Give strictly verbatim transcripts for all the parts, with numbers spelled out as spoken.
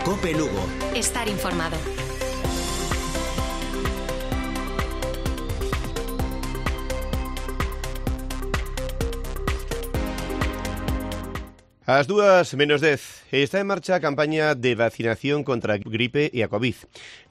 COPE Lugo. Estar informado. As dúas menos dez. Está en marcha a campaña de vacinación contra a gripe e a COVID.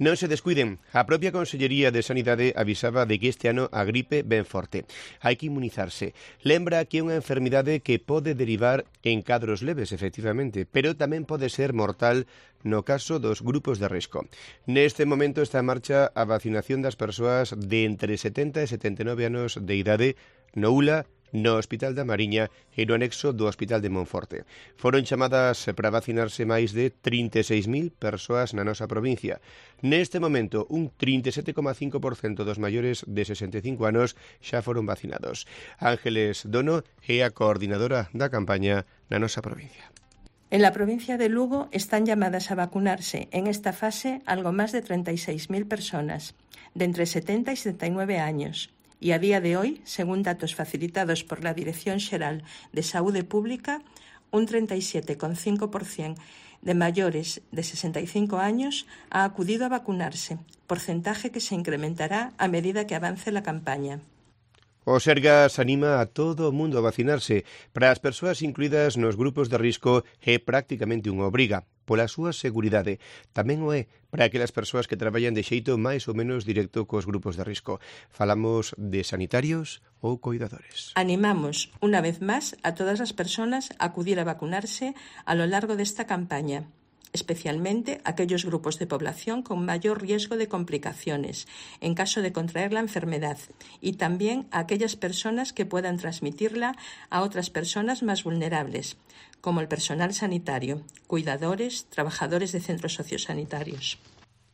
Non se descuiden. A propia Consellería de Sanidade avisaba de que este ano a gripe ven forte. Hai que inmunizarse. Lembra que é unha enfermidade que pode derivar en cadros leves, efectivamente, pero tamén pode ser mortal no caso dos grupos de risco. Neste momento está en marcha a vacinación das persoas de entre setenta e setenta e nove anos de idade no U L A, no Hospital da Mariña e no anexo do Hospital de Monforte. Foron chamadas para vacinarse máis de trinta e seis mil persoas na nosa provincia. Neste momento, un trinta e sete coma cinco por cento dos maiores de sesenta e cinco anos xa foron vacinados. Ángeles Dono é a coordinadora da campaña na nosa provincia. En la provincia de Lugo están llamadas a vacunarse en esta fase algo más de treinta y seis mil personas, de entre setenta y setenta y nueve años. Y a día de hoy, según datos facilitados por la Dirección Xeral de Saúde Pública, un treinta y siete coma cinco por ciento de mayores de sesenta y cinco años ha acudido a vacunarse, porcentaje que se incrementará a medida que avance la campaña. O Sergas anima a todo o mundo a vacinarse. Para as persoas incluídas nos grupos de risco é prácticamente unha obriga, pola súa seguridade. Tamén o é para aquelas persoas que traballan de xeito máis ou menos directo cos grupos de risco. Falamos de sanitarios ou coidadores. Animamos, unha vez máis, a todas as persoas a acudir a vacunarse a lo largo desta campaña, especialmente aquellos grupos de población con mayor riesgo de complicaciones en caso de contraer la enfermedad y también a aquellas personas que puedan transmitirla a otras personas más vulnerables, como el personal sanitario, cuidadores, trabajadores de centros sociosanitarios.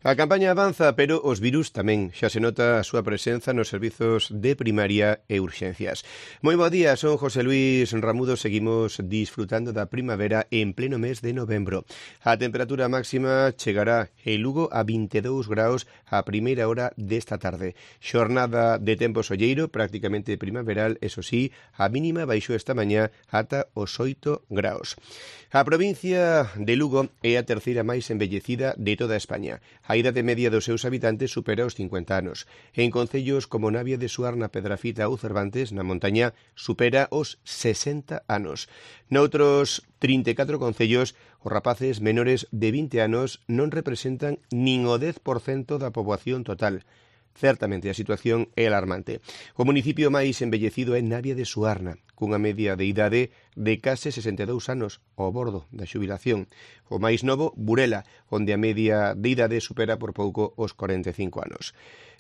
A campaña avanza, pero os virus tamén. Xa se nota a súa presenza nos servizos de primaria e urxencias. Moi bo día, son José Luis Ramudo. Seguimos disfrutando da primavera en pleno mes de novembro. A temperatura máxima chegará en Lugo a vinte e dous graus a primeira hora desta tarde. Xornada de tempo solleiro, prácticamente primaveral, eso sí, a mínima baixou esta mañá ata os oito graus. A provincia de Lugo é a terceira máis envellecida de toda España. A idade media dos seus habitantes supera os cincuenta anos. En concellos como Navia de Suar, na Pedrafita ou Cervantes, na montaña, supera os sesenta anos. Noutros trinta e catro concellos, os rapaces menores de vinte anos non representan nin o dez por cento da poboación total. Certamente, a situación é alarmante. O municipio máis envellecido é Navia de Suarna, cunha media de idade de case sesenta e dous anos, ao bordo da xubilación. O máis novo, Burela, onde a media de idade supera por pouco os cuarenta e cinco anos.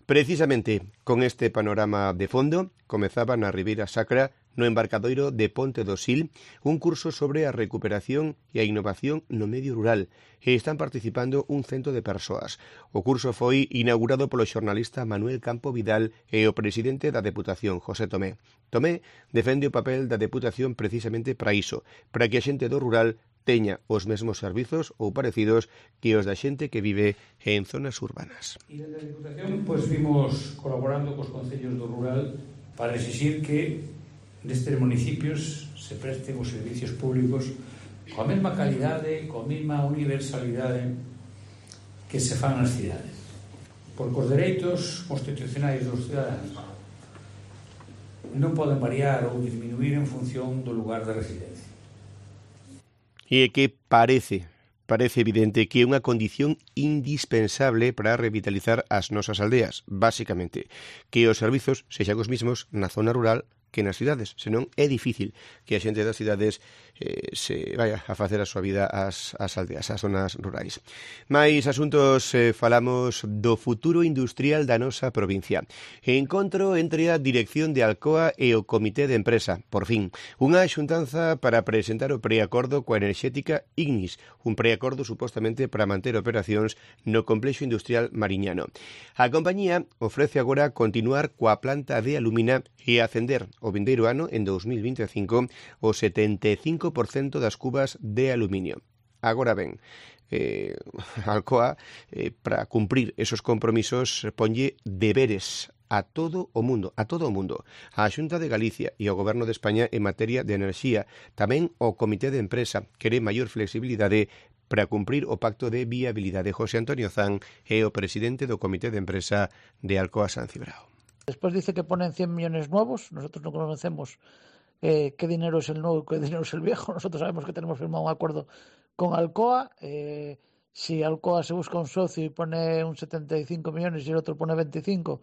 Precisamente con este panorama de fondo, comezaba na Ribeira Sacra, no embarcadoiro de Ponte do Sil, un curso sobre a recuperación e a innovación no medio rural, e están participando un cento de persoas. O curso foi inaugurado polo xornalista Manuel Campo Vidal e o presidente da Deputación, José Tomé. Tomé defende o papel da Deputación precisamente para iso, para que a xente do rural teña os mesmos servizos ou parecidos que os da xente que vive en zonas urbanas. E desde a Deputación, pois, vimos colaborando cos concellos do rural para exixir que destes municipios se presten os servicios públicos coa mesma calidade, coa mesma universalidade que se fan nas cidades, porque os dereitos constitucionais dos cidadáns non poden variar ou disminuir en función do lugar de residencia. E que parece, parece evidente que é unha condición indispensable para revitalizar as nosas aldeas, basicamente, que os servizos sexan os mismos na zona rural que nas cidades, senón é difícil que a xente das cidades eh, se vaya a facer a súa vida ás, ás aldeas, ás zonas rurais. Mais asuntos, eh, falamos do futuro industrial da nosa provincia. Encontro entre a dirección de Alcoa e o comité de empresa, por fin. Unha xuntanza para presentar o preacordo coa enerxética Ignis, un preacordo supostamente para manter operacións no complexo industrial mariñano. A compañía ofrece agora continuar coa planta de alumina e ascender o vindeiro ano, en dos mil vinte e cinco, o setenta e cinco por cento das cubas de aluminio. Agora ben, eh, Alcoa, eh, para cumprir esos compromisos, ponlle deberes a todo o mundo, a todo o mundo, a Xunta de Galicia e ao Goberno de España en materia de enerxía, tamén ao Comité de Empresa, quere maior flexibilidade para cumprir o pacto de viabilidade. José Antonio Zan é o presidente do Comité de Empresa de Alcoa San Cibrao. Después dice que ponen cien millones nuevos, nosotros no conocemos eh, qué dinero es el nuevo y qué dinero es el viejo, nosotros sabemos que tenemos firmado un acuerdo con Alcoa, eh, si Alcoa se busca un socio y pone un setenta y cinco millones y el otro pone veinticinco,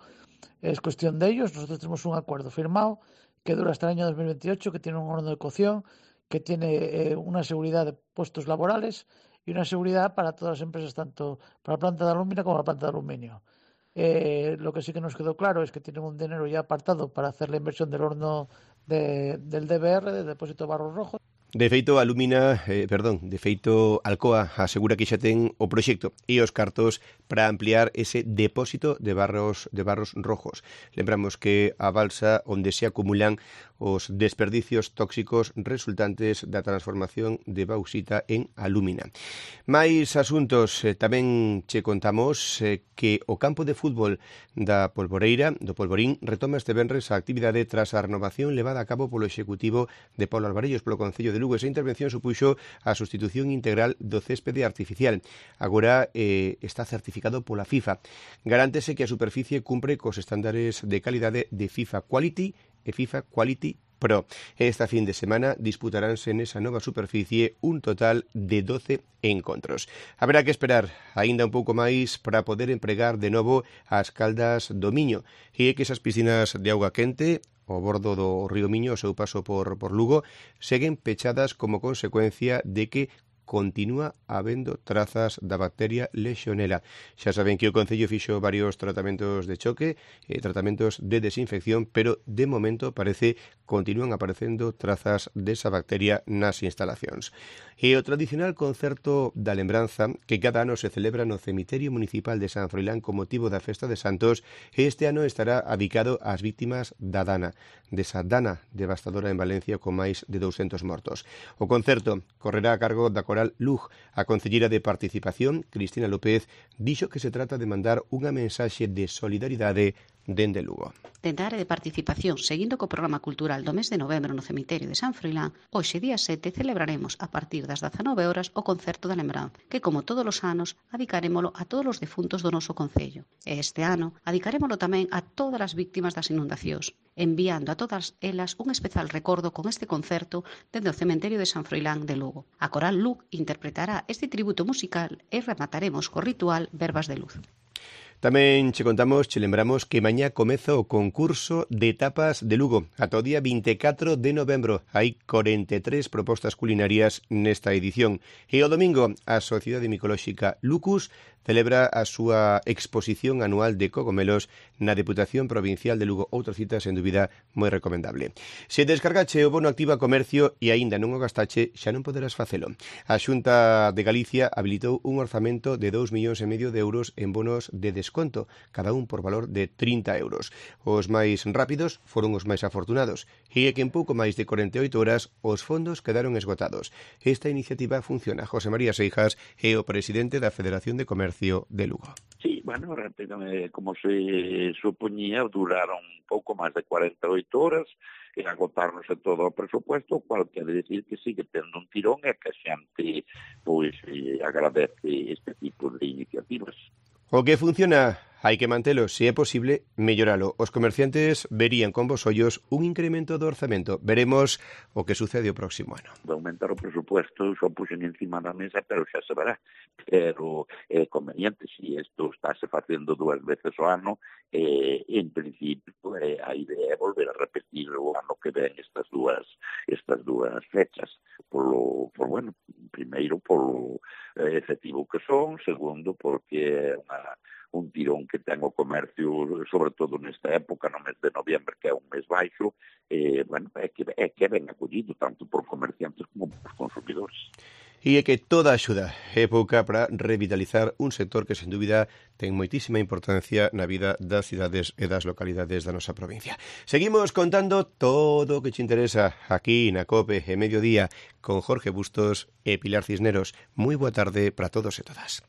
es cuestión de ellos. Nosotros tenemos un acuerdo firmado que dura hasta el año dos mil veintiocho, que tiene un horno de cocción, que tiene eh, una seguridad de puestos laborales y una seguridad para todas las empresas, tanto para la planta de alumina como la planta de aluminio. Eh, lo que sí que nos quedó claro es que tienen un dinero ya apartado para hacer la inversión del horno de, del D B R, del depósito de barros rojos. De feito, Alumina, eh, perdón, de feito, Alcoa asegura que xa ten o proxecto e os cartos para ampliar ese depósito de barros de barros rojos. Lembramos que a balsa onde se acumulan os desperdicios tóxicos resultantes da transformación de bauxita en alúmina. Mais asuntos, eh, tamén che contamos eh, que o campo de fútbol da Polvoreira, do Polvorín, retoma este venres a actividade tras a renovación levada a cabo polo Executivo de Paulo Alvarellos polo Concello de Lugo. Esa intervención supuxo a sustitución integral do céspede artificial. Agora eh, está certificado pola FIFA. Garántese que a superficie cumpre cos estándares de calidade de FIFA Quality e FIFA Quality Pro. Esta fin de semana disputaránse nesa nova superficie un total de doce encontros. Haberá que esperar aínda un pouco máis para poder empregar de novo as caldas do Miño e que esas piscinas de auga quente ao bordo do río Miño, o seu paso por, por Lugo, seguen pechadas como consecuencia de que continúa habendo trazas da bacteria Legionela. Xa saben que o Concello fixo varios tratamentos de choque, eh, tratamentos de desinfección, pero de momento parece continúan aparecendo trazas desa bacteria nas instalacións. E o tradicional concerto da lembranza que cada ano se celebra no cemiterio municipal de San Froilán con motivo da Festa de Santos, este ano estará adicado ás vítimas da Dana, desa Dana devastadora en Valencia con máis de douscentos mortos. O concerto correrá a cargo da Coral Lug. A concelleira de Participación, Cristina López, dixo que se trata de mandar unha mensaxe de solidaridade dende Lugo. Dende a área de participación, seguindo co programa cultural do mes de novembro no cemiterio de San Froilán, hoxe día sete celebraremos a partir das dezanove horas o concerto da lembranza, que como todos os anos adicarémolo a todos os defuntos do noso concello. E este ano adicarémolo tamén a todas as víctimas das inundacións, enviando a todas elas un especial recordo con este concerto dende o cemiterio de San Froilán de Lugo. A Coral Lug interpretará este tributo musical e remataremos co ritual Verbas de Luz. Tamén che contamos, che lembramos que mañá comeza o concurso de tapas de Lugo. Ata o día vinte e catro de novembro hai corenta e tres propostas culinarias nesta edición. E o domingo a Sociedade Micolóxica Lucus celebra a súa exposición anual de cogomelos na Deputación Provincial de Lugo. Outra cita, sen dúbida, moi recomendable. Se descargache o bono Activa Comercio e aínda non o gastache, xa non poderás facelo. A Xunta de Galicia habilitou un orzamento de dous millóns e medio de euros en bonos de desconto, cada un por valor de trinta euros. Os máis rápidos foron os máis afortunados, e é que en pouco máis de corenta e oito horas os fondos quedaron esgotados. Esta iniciativa funciona. José María Seijas é o presidente da Federación de Comercio de Lugo. Sí, bueno, rápidamente, como se supoñía, duraron un pouco máis de cuarenta e oito horas e agotarnos todo o presupuesto, cual quere decir que sigue tendo un tirón e que a xente pois, eh, agradece este tipo de iniciativas. O que funciona hai que mantelo, se é posible, melloralo. Os comerciantes verían con vos ollos un incremento do orzamento. Veremos o que sucede o próximo ano. De aumentar o presupuesto, xo puxen encima da mesa, pero xa se verá. Pero é eh, conveniente, se isto estáse facendo dúas veces ao ano, eh, en principio eh, a idea é volver a repetir o ano que ven estas dúas estas dúas fechas. Polo, por, bueno, primeiro polo eh, efectivo que son, segundo porque é unha un tirón que ten o comercio, sobre todo nesta época, no mes de noviembre, que é un mes baixo, eh, bueno, é que, é que ben acollido, tanto por comerciantes como por consumidores. E é que toda axuda é pouca para revitalizar un sector que, sen dúbida, ten moitísima importancia na vida das cidades e das localidades da nosa provincia. Seguimos contando todo o que te interesa aquí na COPE e Mediodía con Jorge Bustos e Pilar Cisneros. Moi boa tarde para todos e todas.